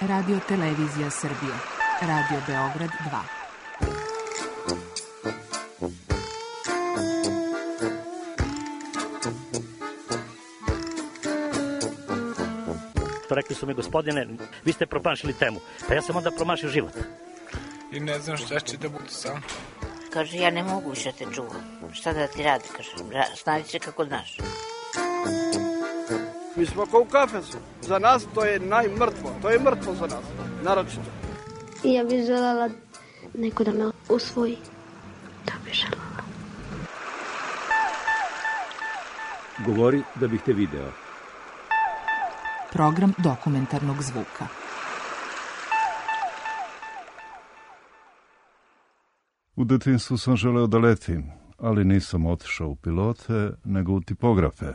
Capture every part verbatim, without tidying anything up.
Radio Televizija Srbije. Radio Beograd dva. Rekli su mi, gospodine, vi ste promašili temu. Pa ja sam onda promašio život. I ne znam šta će da bude sam. Kaže, ja ne mogu više te čuvam. Šta da ti radi, kaže, snađi se kako znaš. Mi smo kao u kafesu. Za nas to je najmrtvo. To je mrtvo za nas, naročito. Ja bih želela neko da me usvoji. To bih želela. Govori da bih te video. Program dokumentarnog zvuka. U detinjstvu sam želeo da letim, ali nisam otišao u pilote, nego u tipografe.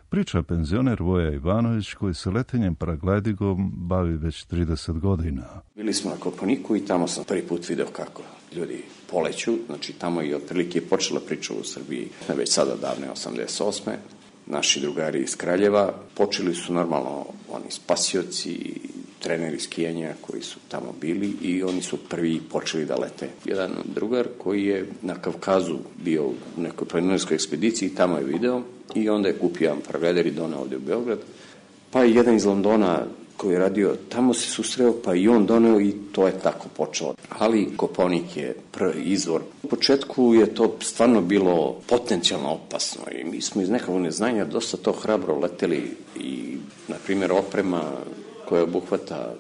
Priča penzioner Voja Ivanović, koji se letenjem paraglidingom bavi već trideset godina. Bili smo na Kopaoniku i tamo sam prvi put video kako ljudi poleću. Znači, tamo je otprilike počela priča u Srbiji, već sada davne osamdeset osme Naši drugari iz Kraljeva počeli su normalno oni spasioci, treneri skijanja koji su tamo bili i oni su prvi počeli da lete. Jedan drugar koji je na Kavkazu bio u nekoj planinarskoj ekspediciji, tamo je video i onda je kupio jedan paraglider i doneo ovde u Beograd. Pa je jedan iz Londona koji je radio, tamo se susreo, pa i on doneo i to je tako počelo. Ali Kopaonik je prvi izvor. U početku je to stvarno bilo potencijalno opasno i mi smo iz nekog neznanja dosta to hrabro leteli i, na primjer, oprema koja obuhvata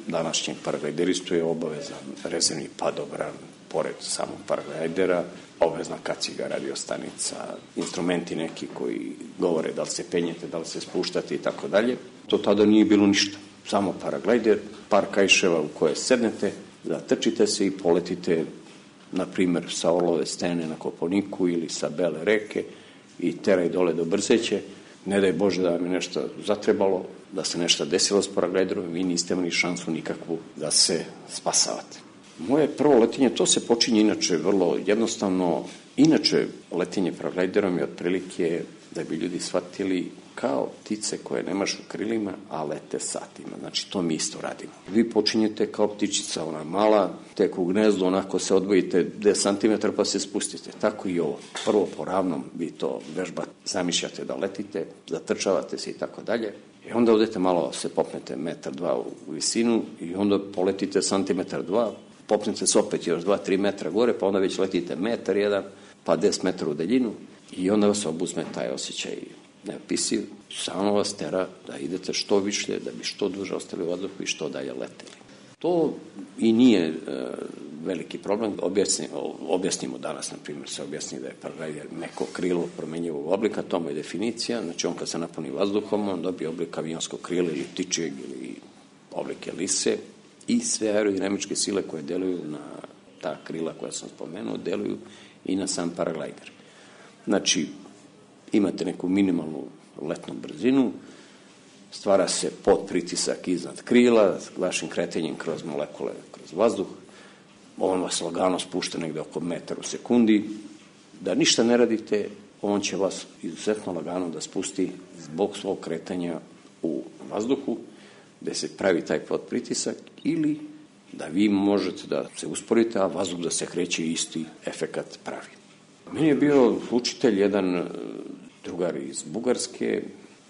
današnjeg paraglideristu je obavezan rezervni padobran, pored samog paraglidera, obavezna kaciga, radiostanica, instrumenti neki koji govore da li se penjete, da li se spuštate i tako dalje. To tada nije bilo ništa. Samo paraglider, par kajševa u koje sednete, zatrčite se i poletite, na primjer, sa Orlove stene na Kopaoniku ili sa Bele reke i teraj dole do Brzeće. Ne daj Bože da vam je nešto zatrebalo, da se nešto desilo s paragliderom, vi niste imali šansu nikakvu da se spasavate. Moje prvo letenje, to se počinje inače vrlo jednostavno. Inače, letenje paragliderom je otprilike, da bi ljudi shvatili, kao ptice koje nemaš u krilima, a lete satima. Znači, to mi isto radimo. Vi počinjete kao ptičica, ona mala, tek u gnezdu, onako se odvojite deset centimetara pa se spustite. Tako i ovo. Prvo po ravnom vi to vežbate, zamišljate da letite, zatrčavate se i tako dalje. I onda odete malo, se popnete metar, dva u visinu i onda poletite centimetar, dva, popnete se opet još dva, tri metra gore, pa onda već letite metar, jedan, pa deset metara u daljinu i onda vas obuzme taj osjećaj neopisiv, samo vas tera da idete što više, da bi što duže ostali u vazduhu i što dalje leteli. To i nije e, veliki problem. Objasni, objasnimo danas, na primjer, se objasni da je paraglider neko krilo promenjivog oblika, to mu je definicija, znači on kad se napuni vazduhom, on dobije oblik avionskog krila ili ptičijeg ili oblike lise i sve aerodinamičke sile koje deluju na ta krila koja sam spomenuo, deluju i na sam paraglider. Znači, imate neku minimalnu letnu brzinu, stvara se podpritisak iznad krila, vašim kretanjem kroz molekule, kroz vazduh, on vas lagano spušta negde oko metar u sekundi, da ništa ne radite, on će vas izuzetno lagano da spusti zbog svog kretanja u vazduhu, gde se pravi taj podpritisak, ili da vi možete da se usporite, a vazduh da se kreće isti efekat pravi. Meni je bio učitelj jedan drugar iz Bugarske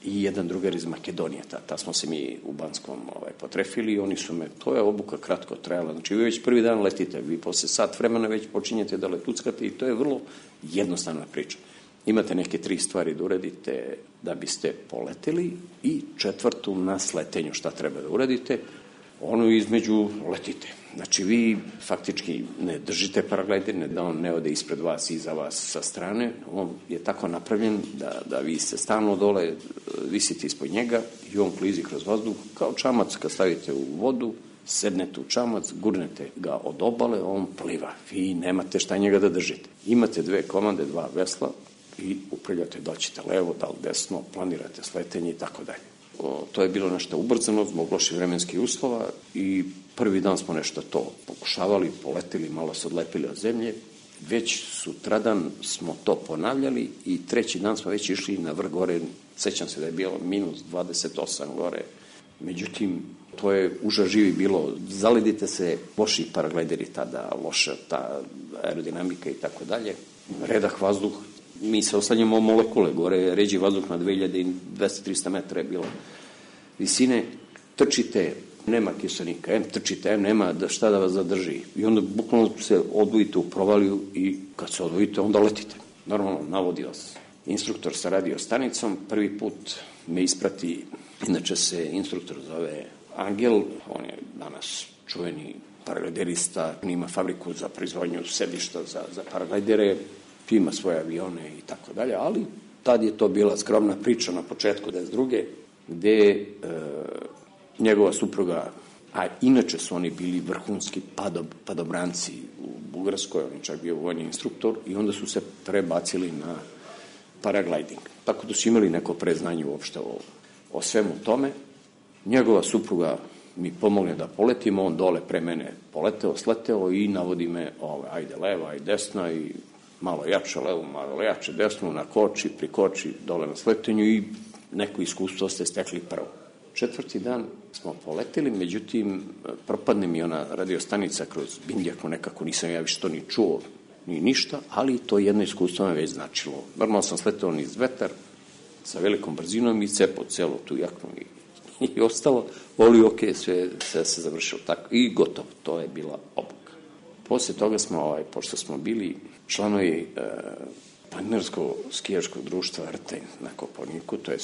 i jedan drugar iz Makedonije. Ta, ta smo se mi u Banskom ovaj, potrefili i oni su me, to je obuka kratko trajala. Znači, vi već prvi dan letite, vi posle sat vremena već počinjete da letuckate i to je vrlo jednostavna priča. Imate neke tri stvari da uradite da biste poleteli i četvrtu na sletenju šta treba da uradite, ono između letite. Znači, vi faktički ne držite paraglider, ne da on ne ode ispred vas i iza vas sa strane. On je tako napravljen da, da vi se stalno dole visite ispod njega i on klizi kroz vazduh kao čamac kad stavite u vodu, sednete u čamac, gurnete ga od obale, on pliva. Vi nemate šta njega da držite. Imate dve komande, dva vesla i upravljate da ćete levo, da li desno, planirate sletenje i tako dalje. To je bilo nešto ubrzano zbog loših vremenskih uslova i prvi dan smo nešto to pokušavali, poletili, malo se odlepili od zemlje. Već sutradan smo to ponavljali i treći dan smo već išli na vrh gore. Sećam se da je bilo minus dvadeset osam gore. Međutim, To je užas živi bilo. Zaledite se, loši paraglideri tada, loša ta aerodinamika i tako dalje. Redak vazduh, mi se oslanjamo molekule, gore ređi vazduh na dve hiljade dvesta do trista metara je bilo visine, trčite, nema kiselnika, em trčite, em nema da šta da vas zadrži. I onda bukvalno se odvojite u provaliju i kad se odvojite, onda letite. Normalno, navodi vas instruktor sa radio stanicom, prvi put me isprati, inače se instruktor zove Angel, on je danas čuveni paragliderista, ima fabriku za proizvodnju sedišta za, za paraglidere, ima svoje avione i tako dalje, ali tad je to bila skromna priča na početku devedeset druge gde e, njegova supruga, a inače su oni bili vrhunski padob, padobranci u Bugarskoj, on je čak bio vojni instruktor i onda su se prebacili na paragliding. Tako da su imali neko preznanje uopšte o, o svemu tome. Njegova supruga mi pomogne da poletimo, on dole pre mene poleteo, sleteo i navodi me, ove, ajde leva, ajde desna i malo jače levo, malo jače desno, na koči, prikoči, dole na sletenju i neko iskustvo ste stekli prvo. Četvrti dan smo poletili, međutim, propadne mi ona radiostanica kroz Bindjaku, nekako nisam ja više to ni čuo, ni ništa, ali to jedno iskustvo me već značilo. Normalno sam sletao niz vetar, sa velikom brzinom i cepao celu tu jaknu i, i ostalo, ali ok, sve, sve se završilo tako i gotovo, to je bila obuka. Posle toga smo, ovaj, pošto smo bili članovi e, planinarsko-skijaškog društva Rtenj na Kopaoniku, to je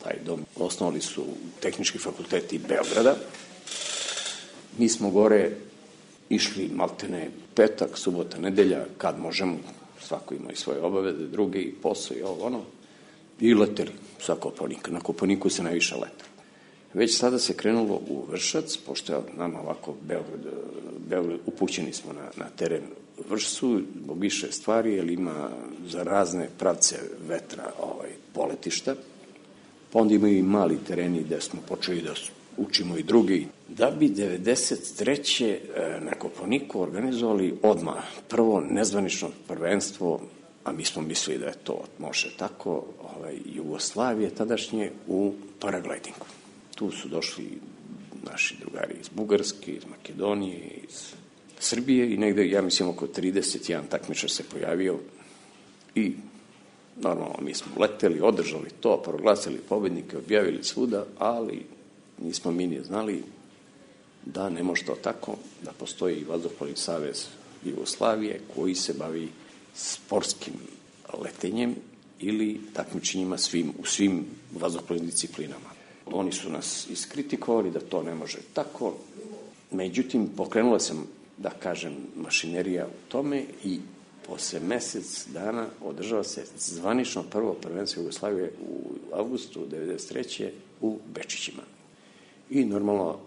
taj dom, osnovali su tehnički fakulteti Beograda. Mi smo gore išli maltene petak, subota, nedelja, kad možemo, svako ima i svoje obaveze, druge i posao i ovo ono, i leteli sa Kopaonika. Na Kopaoniku se najviše leteli. Već sada se krenulo u Vršac, pošto je nama ovako Beograd, Beograd upućeni smo na, na teren Vršcu, zbog više stvari, jer ima za razne pravce vetra ovaj, poletišta. Pa onda imaju i mali tereni gde smo počeli da učimo i drugi. Da bi devedeset treće na Kopaoniku organizovali odmah prvo nezvanično prvenstvo, a mi smo mislili da je to može tako, ovaj, Jugoslavije tadašnje u paraglidingu. Tu su došli naši drugari iz Bugarske, iz Makedonije, iz Srbije i negde, ja mislim, oko trideset jedan takmičar se pojavio i normalno mi smo leteli, održali to, proglasili pobednike, objavili svuda, ali nismo mi ni znali da ne može to tako, da postoji i Vazduhoplovni savez Jugoslavije koji se bavi sportskim letenjem ili takmičenjima svim, u svim vazduhoplovnim disciplinama. Oni su nas iskritikovali da to ne može tako, međutim pokrenula sam, da kažem, mašinerija u tome i posle mesec dana održava se zvanično prvo prvenstvo Jugoslavije u avgustu devedeset treće u Bečićima. I normalno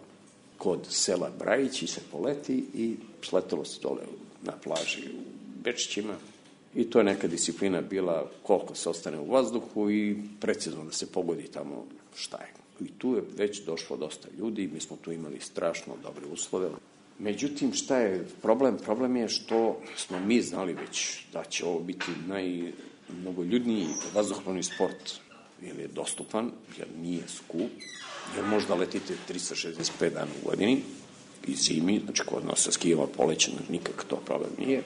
kod sela Brajići se poleti i sletelo se dole na plaži u Bečićima i to je neka disciplina bila koliko se ostane u vazduhu i precizno da se pogodi tamo šta je. I tu je već došlo dosta ljudi, mi smo tu imali strašno dobre uslove. Međutim, šta je problem? Problem je što smo mi znali već da će ovo biti najmnogoljudniji vazduhoplovni sport, jer je dostupan, jer nije skup, jer možda letite trista šezdeset pet dana u godini i zimi, znači kod nas sa skijama poleće, nikak to problem nije.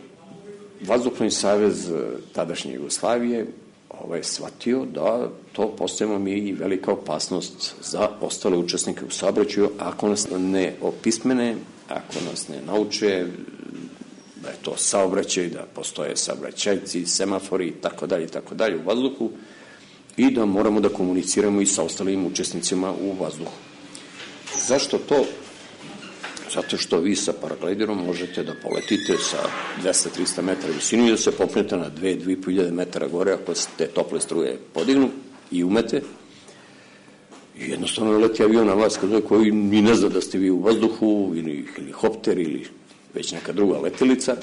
Vazduhoplovni savez tadašnje Jugoslavije ovaj, shvatio da to postajemo mi i velika opasnost za ostale učesnike u saobraćaju ako nas ne opismene, ako nas ne nauče da je to saobraćaj, da postoje saobraćajci, semafori i tako dalje i tako dalje u vazduhu i da moramo da komuniciramo i sa ostalim učesnicima u vazduhu. Zašto to? Zato što vi sa paragliderom možete da poletite sa dvesta do trista metara visinu i da se popnete na dve do dve i po hiljade metara gore ako se te tople struje podignu i umete. I jednostavno leti avion na vas koji ni ne zna da ste vi u vazduhu ili helikopter ili već neka druga letelica.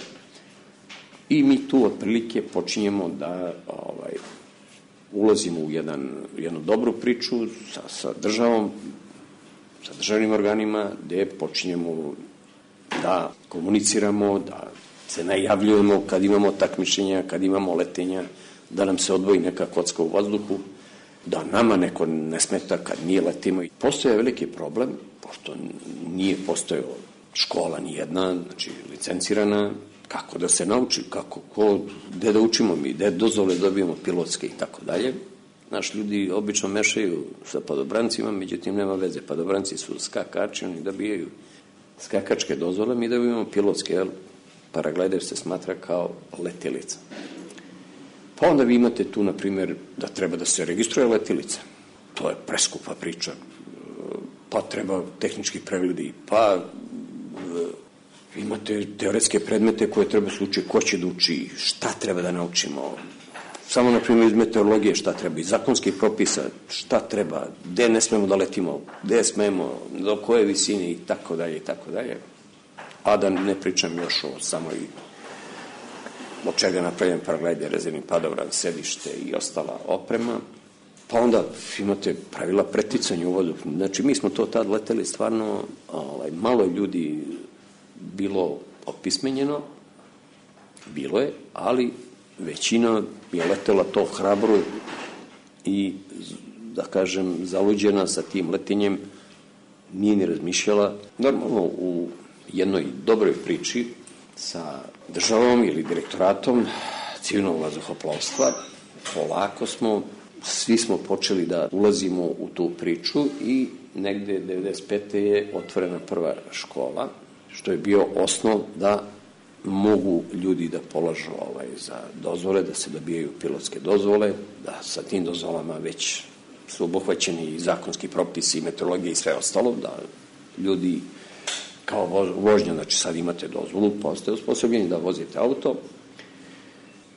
I mi tu otprilike počinjemo da ovaj, ulazimo u jedan, jednu dobru priču sa, sa državom, sa državnim organima, gde počinjemo da komuniciramo, da se najavljujemo kad imamo takmičenja, kad imamo letenja, da nam se odvoji neka kocka u vazduhu da nama neko ne smeta kad nije letimo. Postoje veliki problem, pošto nije postojao škola nijedna, znači licencirana, kako da se nauči, kako, ko, gde da učimo mi, gde dozvole dobijemo pilotske i tako dalje. Naš ljudi obično mešaju sa padobrancima, međutim nema veze. Padobranci su skakači, oni dobijaju skakačke dozvole, mi dobijemo pilotske, jer paraglider se smatra kao letelica. Pa onda vi imate tu, na primjer, da treba da se registruje letelica. To je preskupa priča. Pa treba tehnički pregledi, pa imate teoretske predmete koje treba se uči, ko će da uči, šta treba da naučimo. Samo, na primjer, iz meteorologije šta treba, iz zakonskih propisa šta treba, gde ne smemo da letimo, gde smemo, do koje visine i tako dalje i tako dalje. A da ne pričam još o samoj od čega je napravljen paraglider, rezervni padobran, sedište i ostala oprema. Pa onda imate pravila preticanja u vodu. Znači, mi smo to tad leteli stvarno, ovaj, malo ljudi bilo opismenjeno, bilo je, ali većina je letela to hrabro i, da kažem, zaluđena sa tim letenjem, nije ni razmišljala. Normalno, u jednoj dobroj priči sa državom ili direktoratom civilnog vazduhoplovstva, polako smo, svi smo počeli da ulazimo u tu priču i negde devedeset pete je otvorena prva škola, što je bio osnov da mogu ljudi da polažu ovaj, za dozvole, da se dobijaju pilotske dozvole, da sa tim dozvolama već su obuhvaćeni i zakonski propisi, i meteorologije i sve ostalo, da ljudi kao vožnja, znači sad imate dozvolu, pa ste osposobljeni da vozite auto.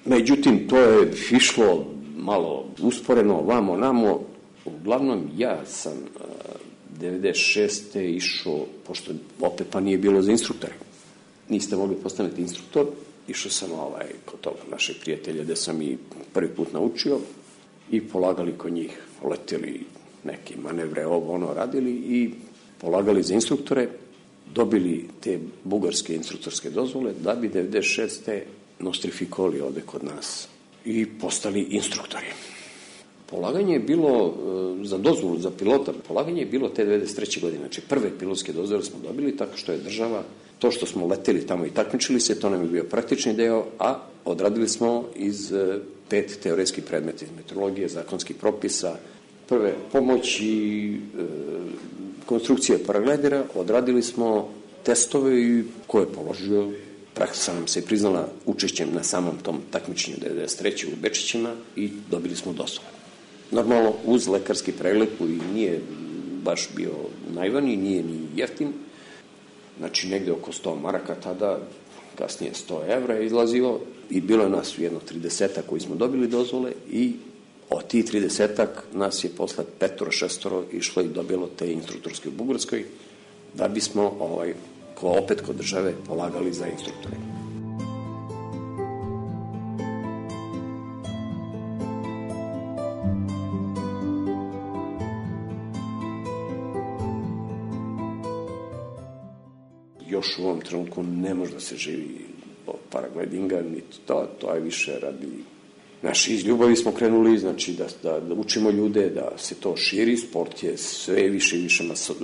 Međutim, to je išlo malo usporeno, vamo, namo. Uglavnom, ja sam devedeset šeste išao, pošto opet pa nije bilo za instruktore. Niste mogli postaniti instruktor, išao sam ovaj, kod toga našeg prijatelja gde sam i prvi put naučio i polagali kod njih, leteli neke manevre, ovo ono radili i polagali za instruktore, dobili te bugarske instruktorske dozvole da bi devedeset šeste nostrifikovali ovde kod nas i postali instruktori. Polaganje je bilo za dozvolu za pilota, polaganje je bilo te devedeset treće godine, znači prve pilotske dozvole smo dobili tako što je država, to što smo leteli tamo i takmičili se, to nam je bio praktični deo, a odradili smo iz pet teoretskih predmeta, iz meteorologije, zakonskih propisa, prve pomoći, e, konstrukcije paraglidera, odradili smo testove i ko je položio, praksa nam se priznala učešćem na samom tom takmičenju devedeset treće u Bečićima i dobili smo dozvolu. Normalno, uz lekarski pregled koji nije baš bio najvaniji, nije ni jeftin, znači negde oko sto maraka tada, kasnije sto evra je izlazilo i bilo je nas jedno tridesetak koji smo dobili dozvole i od tih tridesetak nas je posle petoro, šestoro išlo i dobilo te instruktorske u Bugarskoj da bismo ovaj, ko, opet kod države polagali za instruktore. Još u ovom trenutku ne može da se živi od paraglidinga, niti to, to je više radi. Naši iz ljubavi smo krenuli, znači da, da, da učimo ljude, da se to širi, sport je sve više i više maso,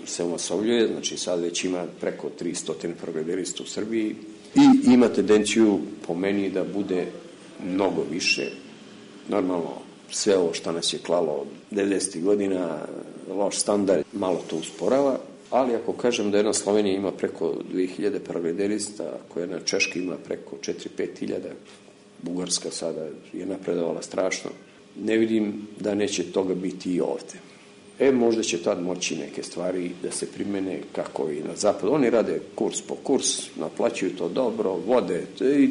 se omasovljuje, znači sad već ima preko tristo paragliderista u Srbiji i ima tendenciju po meni da bude mnogo više. Normalno, sve ovo što nas je klalo od devedesetih godina, loš standard, malo to usporava, ali ako kažem da jedna Slovenija ima preko dve hiljade paragliderista, ako jedna Češka ima preko četiri do pet hiljada, Bugarska sada je napredovala strašno, ne vidim da neće toga biti i ovde. E, možda će tad moći neke stvari da se primene kako i na zapadu. Oni rade kurs po kurs, naplaćuju to dobro, vode i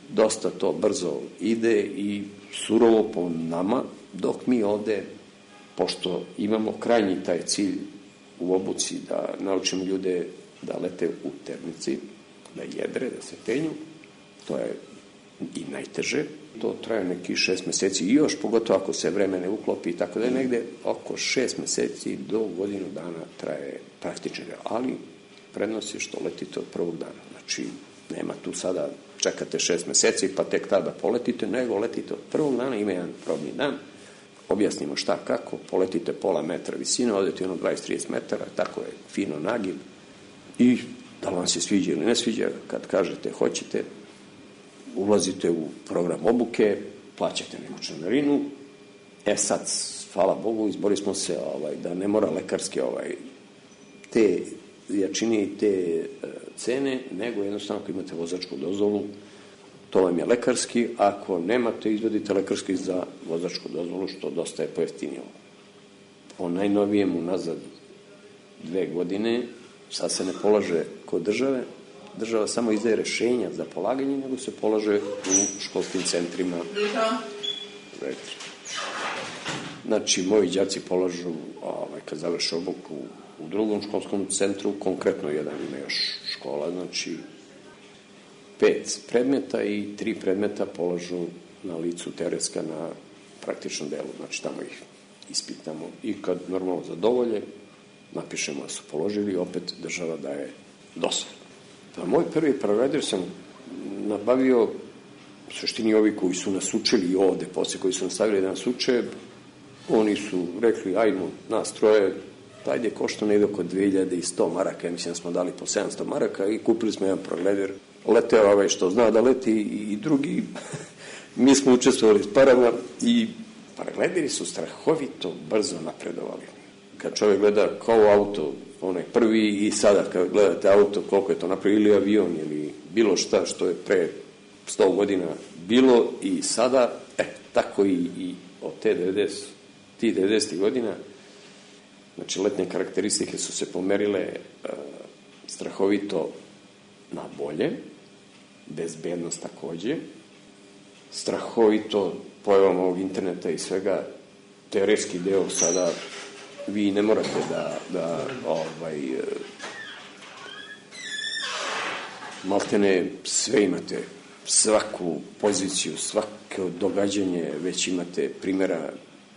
dosta to brzo ide i surovo po nama, dok mi ovde, pošto imamo krajnji taj cilj u obuci da naučimo ljude da lete u termici, da jedre, da se penju, to je i najteže. To traje neki šest meseci i još, pogotovo ako se vreme ne uklopi i tako da je negde oko šest meseci do godinu dana traje praktični deo. Ali prednost je što letite od prvog dana. Znači, nema tu sada čekate šest meseci pa tek tada poletite, nego letite od prvog dana, ima jedan probni dan objasnimo šta, kako, poletite pola metra visine, odete ono dvadeset do trideset metara, tako je, fino nagib, i da li vam se sviđa ili ne sviđa, kad kažete hoćete, ulazite u program obuke, plaćate neku članarinu, e sad, hvala Bogu, izborili smo se ovaj, da ne mora lekarske ovaj, te jačine i te uh, cene, nego jednostavno ako imate vozačku dozvolu, to vam je lekarski, ako nemate, izvodite lekarski za vozačku dozvolu, što dosta je pojeftinilo. Po najnovijem unazad dve godine, sad se ne polaže kod države, država samo izdaje rešenja za polaganje, nego se polaže u školskim centrima. Znači, moji đaci polažu, ovaj, kad završe obuku u drugom školskom centru, konkretno jedan ima još škola, znači pet predmeta i tri predmeta polažu na licu teretska na praktičnom delu, znači tamo ih ispitamo i kad normalno zadovolje, napišemo da su položili i opet država daje dozvolu. Pa moj prvi paraglider sam nabavio, u suštini ovi koji su nas učili ovde, posle koji su nas stavili da nas uče, oni su rekli, ajmo, nas troje, ajde, košta negde oko dve hiljade sto maraka, ja mislim da smo dali po sedamsto maraka i kupili smo jedan paraglider. Leteo ovaj što zna da leti i drugi, mi smo učestvovali s parama i paraglideri su strahovito brzo napredovali. Kad čovjek gleda kao auto, onaj prvi i sada kad gledate auto, koliko je to napravio, ili avion, ili bilo šta što je pre sto godina bilo i sada, e, tako i, i od te devedeset, ti devedesetih godina, znači letne karakteristike su se pomerile uh, strahovito na bolje, bezbednost takođe, strahovito pojavom ovog interneta i svega, teoretski deo sada vi ne morate da, da ovaj, maltene sve imate, svaku poziciju, svako događanje, već imate primjera,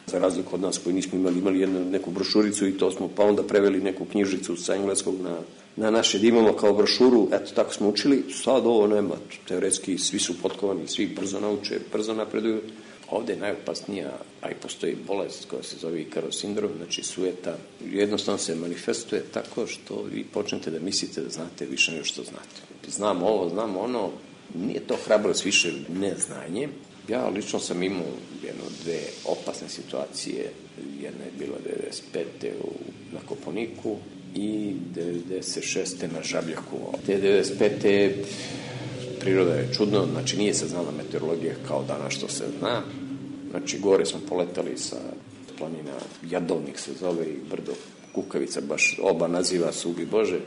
za razliku od nas koji nismo imali, imali jednu, neku brošuricu i to smo pa onda preveli neku knjižicu sa engleskog na, na naše, da imamo kao brošuru, eto tako smo učili, sad ovo nema, teoretski svi su potkovani, svi brzo nauče, brzo napreduju. Ovde je najopasnija, a i postoji bolest koja se zove Ikarov sindrom, znači sujeta, jednostavno se manifestuje tako što vi počnete da mislite da znate više nego što znate. Znam ovo, znam ono, nije to hrabrost, više neznanje. Ja lično sam imao jedno, dve opasne situacije, jedna je bila devedeset pete u, na Koponiku i devedeset šeste na Žabljaku. Te devedeset pete priroda je čudno, znači nije se znala meteorologija kao danas što se zna. Znači gore smo poletali sa planina Jadovnik se zove i brdo Kukavica, baš oba naziva su ubi Bože.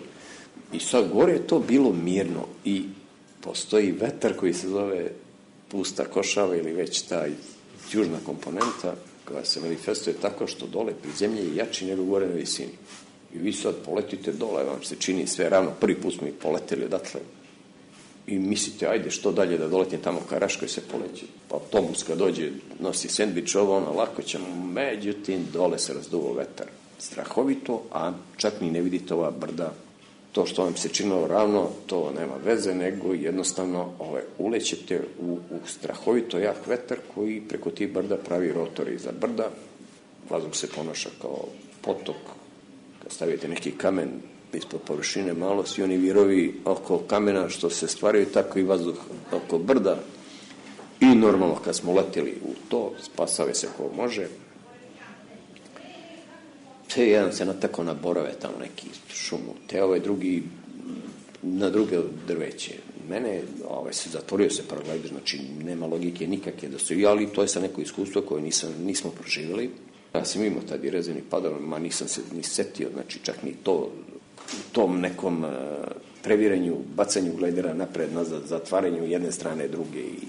I sad gore je to bilo mirno i postoji vetar koji se zove Pusta Košava ili već ta južna komponenta koja se manifestuje tako što dole pri zemlji je jači nego gore na visini. I vi sad poletite dole, vam se čini sve ravno, prvi put smo i poleteli odatle. I mislite, ajde, što dalje da doletim tamo ka Raškoj se poleći. Pa autobus kad dođe, nosi sendvič, ovo, ono, lako ćemo, međutim, dole se razduvo vetar. Strahovito, a čak ni ne vidite ova brda. To što vam se činilo ravno, to nema veze, nego jednostavno ovaj, ulećete u, u strahovito jak vetar koji preko tih brda pravi rotori za brda. Vazduh se ponaša kao potok. Kad stavite neki kamen ispod površine malo, svi oni virovi oko kamena što se stvaraju, tako i vazduh oko brda. I normalno kad smo leteli u to, spasave se ko može. Te jedan se natako na borove, tamo neki šumu, te ovaj drugi na druge drveće. Mene, ovaj, se zatvorio se paraglider, znači nema logike nikakve da stoji, ali to je sa neko iskustvo koje nisam, nismo proživjeli. Ja sam imao tad i rezervni padov, ma nisam se ni setio, znači čak ni to, u tom nekom uh, previranju, bacanju glidera napred, nazad, zatvaranju jedne strane, druge i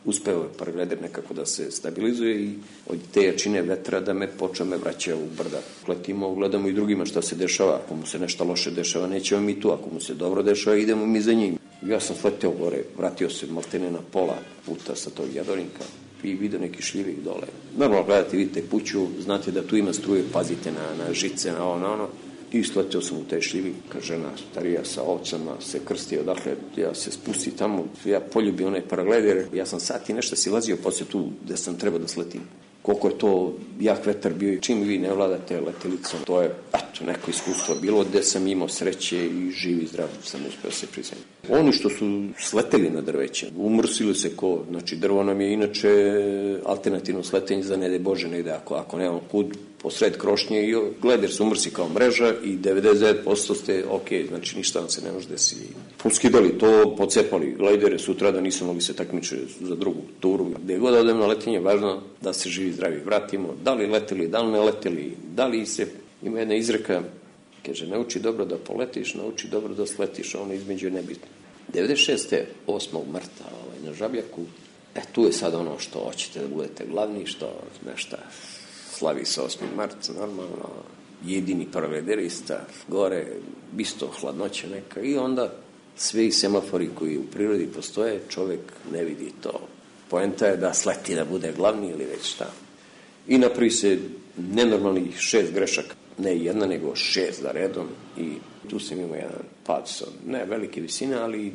uspeo je paraglider nekako da se stabilizuje i od te jačine vetra da me počeo me vraća u brda. Letimo, gledamo i drugima šta se dešava. Ako mu se nešto loše dešava, nećemo mi tu. Ako mu se dobro dešava, idemo mi za njim. Ja sam sleteo gore, vratio se maltene na pola puta sa tog Jadorinka i vidio neki šljivik dole. Normalno gledate, vidite kuću, znate da tu ima struje, pazite na, na žice, na ovo, na ono. I sleteo sam u taj šljivik, kad žena starija sa ovcama se krsti odakle, ja se spusti tamo, ja poljubim onaj paraglider, ja sam sat i nešto silazio posle tu gde sam trebao da sletim. koliko je to jak vetar bio i čim vi ne vladate letelicom, to je, eto, neko iskustvo bilo gde sam imao sreće i živi zdrav sam uspeo se prizemiti. Oni što su sleteli na drveće, umrsili se ko, znači drvo nam je inače alternativno sletenje za ne daj Bože negde, ako, ako nemamo kud, posred krošnje i gleder se umrsi kao mreža i devedeset devet posto ste ok, znači ništa vam se ne može desiti. Poskidali to, pocepali glidere, sutra da nisu mogli se takmiče za drugu turu. Gde god odem na letenje, važno da se živi zdravi vratimo, da li leteli, da li ne leteli, da li se... Ima jedna izreka, kaže, nauči dobro da poletiš, nauči dobro da sletiš, a ono između je nebitno. devedeset šeste osmog marta ovaj, na Žabljaku, e tu je sad ono što hoćete da budete glavni, što nešto slavi se osmi mart, normalno, jedini paralederista, gore, isto hladnoća neka i onda svi semafori koji u prirodi postoje, čovek ne vidi to. Poenta je da sleti da bude glavni ili već šta. I napravi se nenormalnih šest grešaka, ne jedna, nego šest za redom i tu sam imao jedan pad sa ne velike visine, ali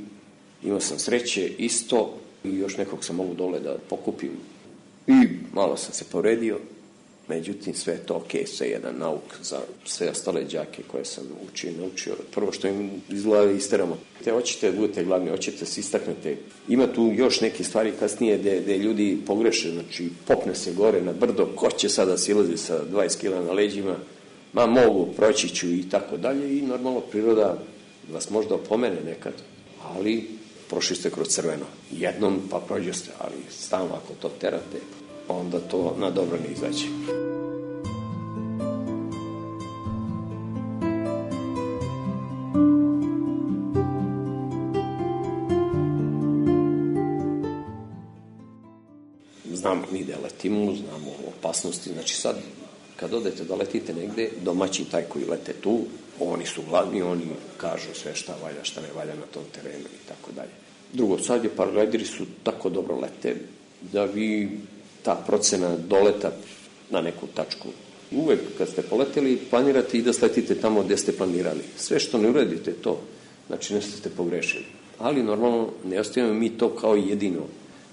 imao sam sreće isto i još nekog sam mogu dole da pokupim i malo sam se povredio. Međutim, sve je to ok, sve je jedan nauk za sve ostale đake koje sam učio i naučio. Prvo što im iz glave isteramo. Te hoćete da budete glavni, hoćete da se istaknete. Ima tu još neke stvari kasnije gde, gde ljudi pogreše, znači popne se gore na brdo, ko će sada silazi sa dvadeset kila na leđima, ma mogu, proći ću i tako dalje i normalno priroda vas možda opomene nekad, ali prošli ste kroz crveno. Jednom pa prođe ste, ali stalno ako to terate, onda to na dobro ne izađe. Znamo mi da letimo, znamo opasnosti, znači sad kad odete da letite negde, domaćin taj koji lete tu, oni su glavni, oni kažu sve šta valja, šta ne valja na tom terenu i tako dalje. Drugo, sad je paraglideri su tako dobro lete da vi ta procena doleta na neku tačku. Uvek kad ste poleteli, planirate i da sletite tamo gde ste planirali. Sve što ne uradite to, znači nešto ste pogrešili. Ali normalno ne ostavimo mi to kao jedino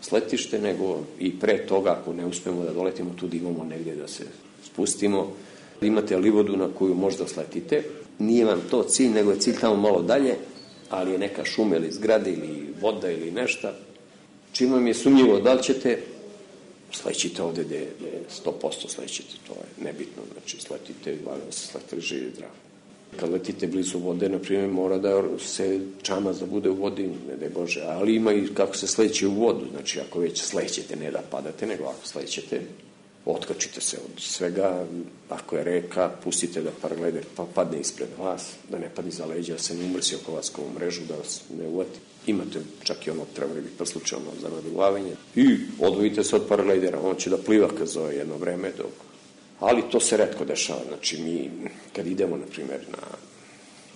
sletište, nego i pre toga ako ne uspemo da doletimo tu da imamo negdje da se spustimo. Imate livodu na koju možda sletite. Nije vam to cilj, nego je cilj tamo malo dalje, ali je neka šuma ili zgrada ili voda ili nešto. Čim vam je sumnjivo da li ćete, slećite ovde gde je sto posto slećite, to je nebitno, znači sletite, valjda se sletili živi zdrav. Kad letite blizu vode, na primjer, mora da se čamac da bude u vodi, ne daj Bože, ali ima i kako se sleće u vodu, znači ako već slećete, ne da padate, nego ako slećete, otkačite se od svega, ako je reka, pustite da paraglider pa padne ispred vas, da ne padne za leđa, da se ne umrsi oko vas kao mrežu, da vas ne uvati. Imate čak i ono, trebali bi preslučeno za naduglavanje i odvojite se od paraglidera, on će da pliva kad zove jedno vreme, dok... ali to se retko dešava, znači mi kad idemo, na primjer, na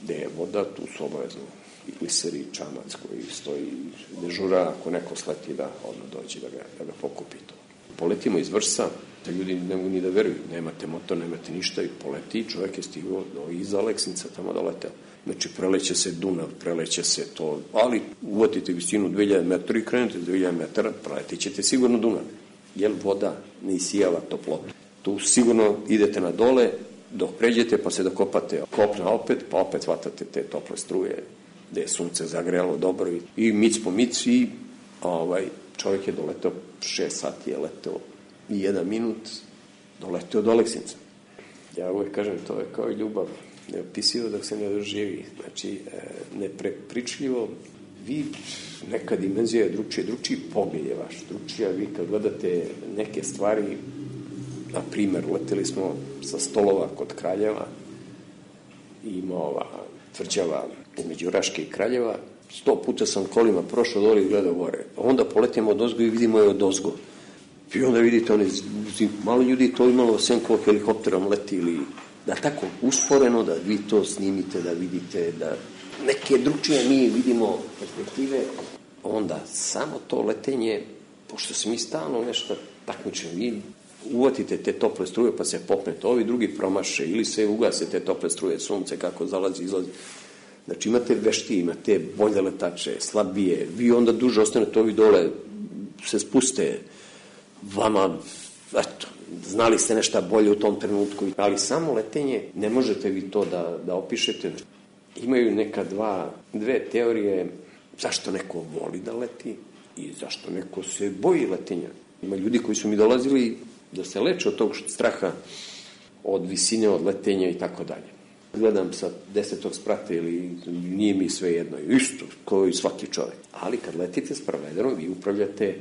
gde je voda, tu su obavezno i gliseri, čamac koji stoji dežura, ako neko sleti da odmah dođe da ga, da ga pokupi to. Poletimo iz Vrsa, da ljudi ne mogu ni da veruju, nemate motor, nemate ništa i poleti, čovjek je stigao do iza Aleksinca, tamo da leteo. Znači, preleće se Dunav, preleće se to, ali uvatite visinu dve hiljade metara i krenete dve hiljade metara, preletit ćete sigurno Dunav, jer voda ne isijava toplotu. Tu sigurno idete na dole, dok pređete pa se dokopate kopna opet, pa opet hvatate te tople struje, gde je sunce zagrejalo dobro i mic po mic i ovaj, čovjek je doletao, šest sati je letao i jedan minut doletao do Aleksinca. Ja uvijek kažem, to je kao i ljubav, neopisivo dok se ne doživi, znači neprepričljivo, vi, neka dimenzija je drugčija, drugčiji pogled je vaš, drugčija, vi kad gledate neke stvari, na primjer, leteli smo sa Stolova kod Kraljeva, ima ova tvrđava između Raške i Kraljeva, sto puta sam kolima prošao dole i gledao gore, onda poletimo od ozgo i vidimo je od ozgo. I onda vidite, one, malo ljudi to imalo sem kao helikopterom leti ili da tako usporeno, da vi to snimite, da vidite, da neke drugčije mi vidimo perspektive, onda samo to letenje, pošto se mi stalno nešto takmičemo, vi uvatite te tople struje pa se popnete, ovi drugi promaše ili se ugase te tople struje, sunce kako zalazi, izlazi. Znači imate veštije, imate bolje letače, slabije, vi onda duže ostanete, ovi dole se spuste, vama, eto, znali ste nešto bolje u tom trenutku, ali samo letenje ne možete vi to da, da opišete. Imaju neka dva, dve teorije zašto neko voli da leti i zašto neko se boji letenja. Ima ljudi koji su mi dolazili da se leče od tog straha, od visine, od letenja i tako dalje. Gledam sa desetog sprata ili nije mi sve jedno, isto kao i svaki čovjek. Ali kad letite s paragliderom, vi upravljate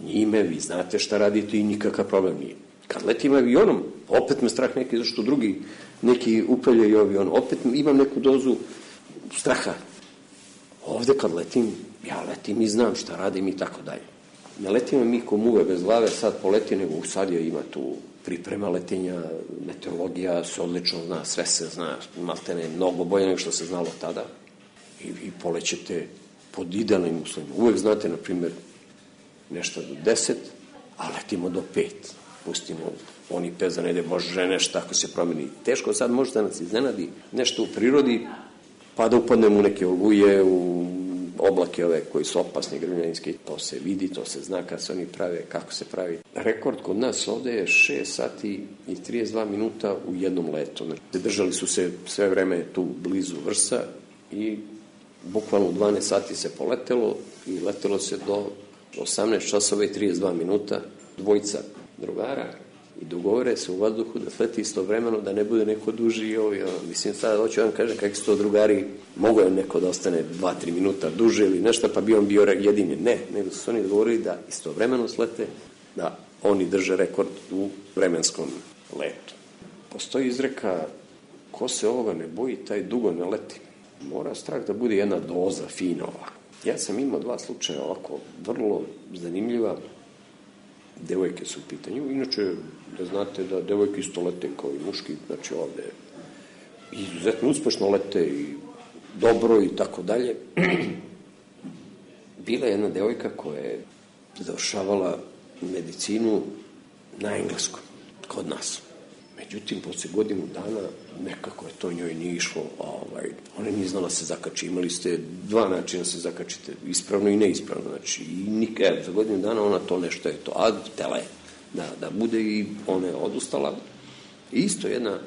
njime, vi znate šta radite i nikakav problem nije. Kad letim avionom, opet me strah neki, zašto drugi neki upravljaju avionom, opet imam neku dozu straha. Ovde kad letim, ja letim i znam šta radim i tako dalje. Ne letimo mi ko muve bez glave, sad poleti, nego sad je ima tu priprema letenja, meteorologija se odlično zna, sve se zna, maltene mnogo bolje nego što se znalo tada. I vi polećete pod idealnim uslovima. Uvek znate, na primjer, nešto do deset, a letimo do pet. Pustimo oni pet za nede, bože, nešto ako se promeni. Teško sad može da nas iznenadi nešto u prirodi, pa da upadnemo u neke oluje, u oblake ove koji su opasni, grmljanski. To se vidi, to se zna kad se oni prave, kako se pravi. Rekord kod nas ovde je šest sati i trideset dva minuta u jednom letu. Znači, držali su se sve vreme tu blizu Vrsa i bukvalno u dvanaest sati se poletelo i letelo se do osamnaest časova i trideset dva minuta. Dvojica drugara i dogovore se u vazduhu da sleti istovremeno, da ne bude neko duži i ovi. Mislim, sada hoću vam kažem kakvi su to drugari, mogo je neko da ostane dva tri minuta duže ili nešto, pa bi on bio jedini. Ne, nego su oni dogovorili da istovremeno slete, da oni drže rekord u vremenskom letu. Postoji izreka, ko se ovoga ne boji, taj dugo ne leti. Mora strah da bude jedna doza, fina ovako. Ja sam imao dva slučaja ovako, vrlo zanimljiva. Devojke su u pitanju. Inače, da znate da devojke isto lete kao i muški, znači ovde izuzetno uspešno lete i dobro i tako dalje. Bila je jedna devojka koja je završavala medicinu na engleskom, kod nas. Međutim, posle godinu dana nekako je to njoj nije išlo. Ovaj, ona nije znala se zakači. Imali ste dva načina se zakačite, ispravno i neispravno. Znači, i nik, evo, za godinu dana ona to nešto je to. A tela je da, da bude i ona je odustala. I isto jedna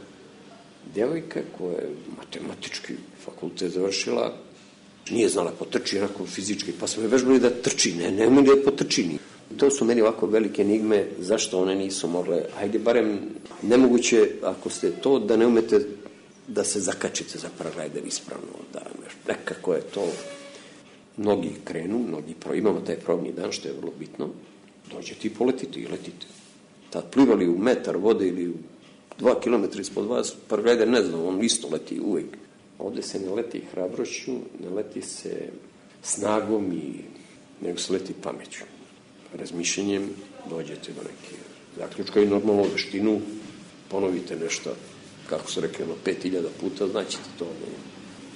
devojka koja je matematički fakultet završila, nije znala potrči, onako fizički, pa smo je vežbali da trči, ne, ne umeli da potrči ni. To su meni ovako velike enigme, zašto one nisu mogle, ajde barem nemoguće ako ste to da ne umete da se zakačite za paraglider ispravno, da nekako je to, mnogi krenu, mnogi pro, imamo taj probni dan što je vrlo bitno, dođete i poletite i letite. Tad plivali u metar vode ili u dva kilometra ispod vas, paraglider ne znam, on isto leti uvek. Ovde se ne leti hrabrošću, ne leti se snagom i nego se leti pameću. Razmišljenjem dođete do neke zaključka i normalno veštinu ponovite nešto, kako su rekli, pet hiljada puta, znaćete to,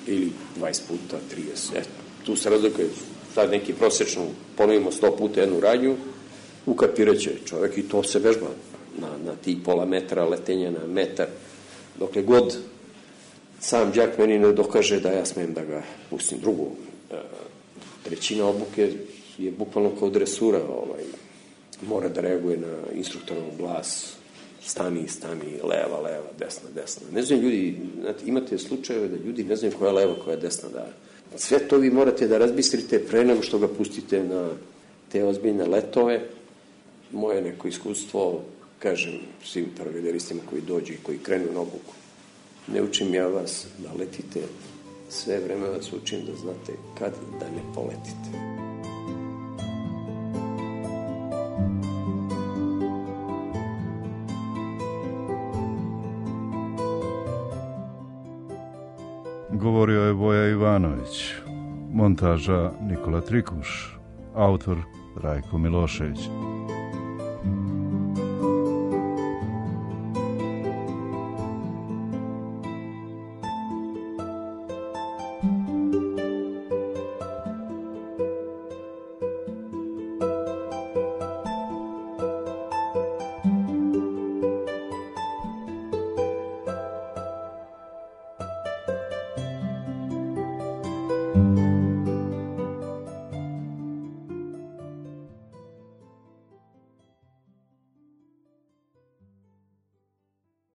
ili dvadeset puta, trideset. Et, tu se razlikuje, sad neki prosečno ponovimo sto puta jednu radnju, ukapiraće čovjek i to se vežba na, na tih pola metra letenja na metar. Dokle god sam đak meni ne dokaže da ja smem da ga pustim. Drugo, trećina obuke je bukvalno kao dresura, ovaj, mora da reaguje na instruktorov glas, stani, stani, leva, leva, desna, desna. Ne znam ljudi, znate, imate slučajeve da ljudi ne znaju koja je leva, koja je desna, da sve to vi morate da razbistrite pre nego što ga pustite na te ozbiljne letove. Moje neko iskustvo, kažem svim paraglideristima koji dođu i koji krenu na obuku, ne učim ja vas da letite, sve vreme vas učim da znate kad da ne poletite. Govorio je Voja Ivanović, montaža Nikola Trikuš, autor Rajko Milošević. Thank you.